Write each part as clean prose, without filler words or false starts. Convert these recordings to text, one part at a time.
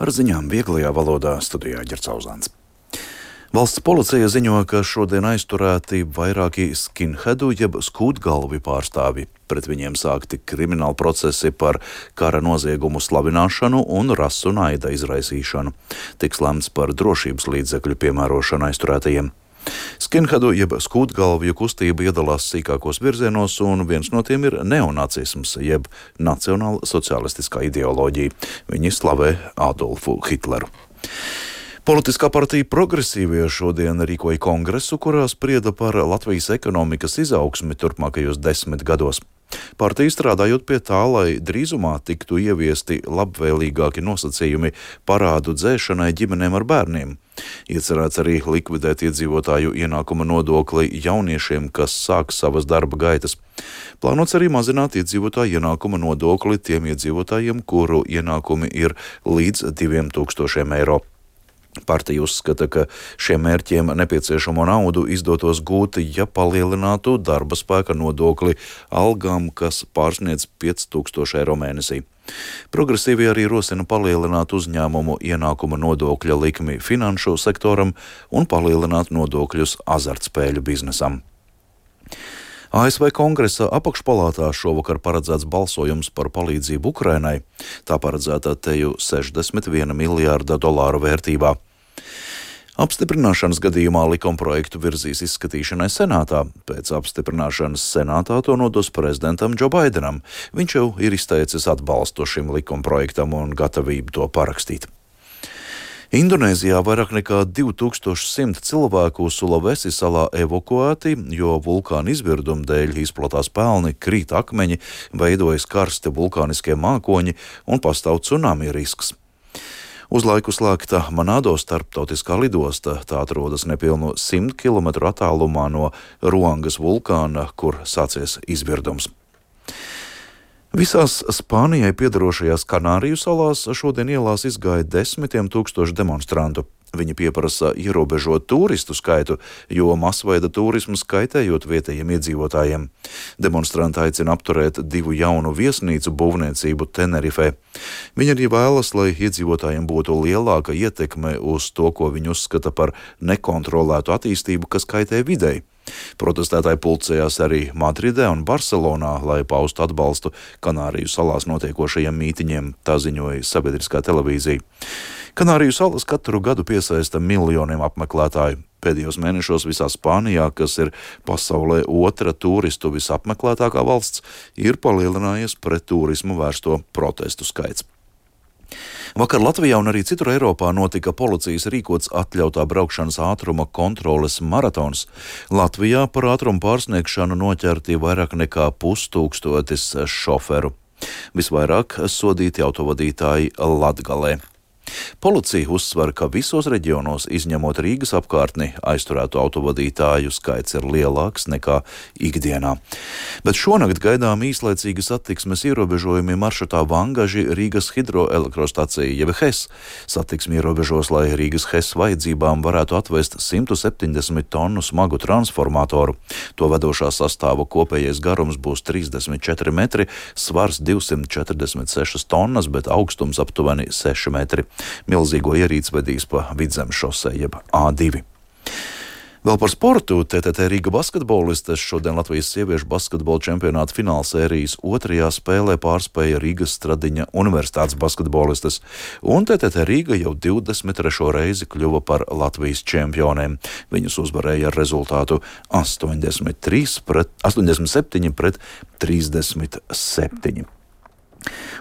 Ar ziņām vieglajā valodā studijā Ģercauzāns. Valsts policija ziņo, ka šodien aizturēti vairāki skinhedu jeb skūtgalvi pārstāvi. Pret viņiem sākti krimināli procesi par kara noziegumu slavināšanu un rasu naida izraisīšanu. Tiks lemts par drošības līdzekļu piemērošanu aizturētajiem. Skinhedu jeb skūtgalvju kustība iedalās sīkākos virzienos, un viens no tiem ir neonacisms jeb nacionāla sociālistiskā ideoloģija. Viņi slavē Adolfu Hitleru. Politiskā partija Progresīvie šodien rīkoja kongresu, kurā sprieda par Latvijas ekonomikas izaugsmi turpmākajos 10 gados. Partija strādājot pie tā, lai drīzumā tiktu ieviesti labvēlīgāki nosacījumi parādu dzēšanai ģimenēm ar bērniem. Iecerēts arī likvidēt iedzīvotāju ienākuma nodokli jauniešiem, kas sāk savas darba gaitas. Plānots arī mazināt iedzīvotāju ienākuma nodokli tiem iedzīvotājiem, kuru ienākumi ir līdz 2000 eiro. Partija uzskata, ka šiem mērķiem nepieciešamo naudu izdotos gūt, ja palielinātu darba spēka nodokli algām, kas pārsniedz 5000 eiro mēnesī. Progresīvi arī rosina palielināt uzņēmumu ienākuma nodokļa likmi finanšu sektoram un palielināt nodokļus azartspēļu biznesam. ASV Kongresa apakšpalātā šovakar paredzēts balsojums par palīdzību Ukrainai. Tā paredzēta teju $61 miljārda vērtībā. Apstiprināšanas gadījumā likumprojektu virzīs izskatīšanai Senātā. Pēc apstiprināšanas Senātā to nodos prezidentam Džo Baidenam. Viņš jau ir izteicis atbalstu šim likumprojektam un gatavību to parakstīt. Indonēzijā vairāk nekā 2100 cilvēku Sulawesi salā evakuēti, jo vulkāna izvirduma dēļ izplatās pelni, krīt akmeņi, veidojas karsti vulkāniskie mākoņi un pastāv tsunami risks. Uz laiku slēgta Manado starptautiskā lidosta, tā atrodas nepilnu 100 km attālumā no Ruangas vulkāna, kur sācies izvirdums. Visās Spānijai piederošajās Kanāriju salās šodien ielās izgāja 10 000 demonstrantu. Viņi pieprasa ierobežot turistu skaitu, jo masveida turisms kaitējot vietējiem iedzīvotājiem. Demonstranti aicina apturēt 2 jaunu viesnīcu būvniecību Tenerifē. Viņi arī vēlas, lai iedzīvotājiem būtu lielāka ietekme uz to, ko viņi uzskata par nekontrolētu attīstību, kas kaitē videi. Protestētāji pulcējās arī Madridē un Barcelonā, lai paustu atbalstu Kanāriju salās notiekošajiem mītiņiem, tā ziņoja sabiedriskā televīzija. Kanāriju salas katru gadu piesaista miljoniem apmeklētāju. Pēdējos mēnešos visā Spānijā, kas ir pasaulē otra turistu visapmeklētākā valsts, ir palielinājies pret turismu vērsto protestu skaits. Vakar Latvijā un arī citur Eiropā notika policijas rīkots atļautā braukšanas ātruma kontroles maratons. Latvijā par ātrumu pārsniegšanu noķerti vairāk nekā 5000 šoferu. Visvairāk sodīti autovadītāji Latgalē. Policija uzsver, ka visos reģionos, izņemot Rīgas apkārtni, aizturēto autovadītāju skaits ir lielāks nekā ikdienā. Bet šonakt gaidām īslaicīgi satiksmes ierobežojumi maršrutā Vangaži Rīgas hidroelektrostacija jeb HES. Satiksmi ierobežos, lai Rīgas HES vajadzībām varētu atvest 170 tonu smagu transformatoru. To vedošā sastāva kopējais garums būs 34 metri, svars 246 tonnas, bet augstums aptuveni 6 metri. Milzīgo ierīci vedīs pa Vidzemes šosei jeb A2. Vēl par sportu. TTT Rīga basketbolistes šodien Latvijas sieviešu basketbola čempionāta finālsērijas 2. spēlē pārspēja Rīgas Stradiņa universitātes basketbolistes, un TTT Rīga jau 23. reizi kļuva par Latvijas čempioniem. Viņus uzvarēja ar rezultātu 87 pret 37.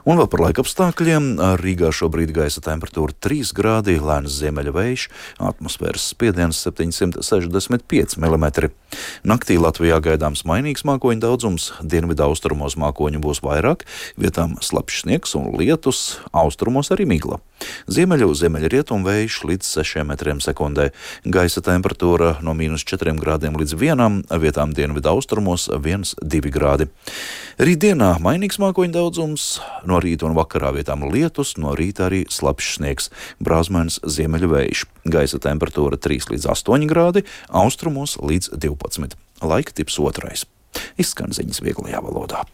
Un vēl par laikapstākļiem. Rīgā šobrīd gaisa temperatūra 3 grādi, lēns ziemeļa vējš, atmosfēras spiediens 765 mm. Naktī Latvijā gaidāms mainīgs mākoņu daudzums, dienvidu austrumos mākoņu būs vairāk, vietām slapjš sniegs un lietus, austrumos arī migla. Ziemeļrietumu vējš līdz 6 metriem sekundē. Gaisa temperatūra no -4 grādiem līdz 1, vietām dienvidu austrumos 1-2 grādi. Rītdienā mainīgs mākoņu daudzums, no rīta un vakarā vietām lietus, no rīta arī slapjš sniegs, brāzmains ziemeļu vējš. Gaisa temperatūra 3 līdz 8 grādi, austrumos līdz 12. Laika tips 2. Izskan ziņas vieglajā valodā.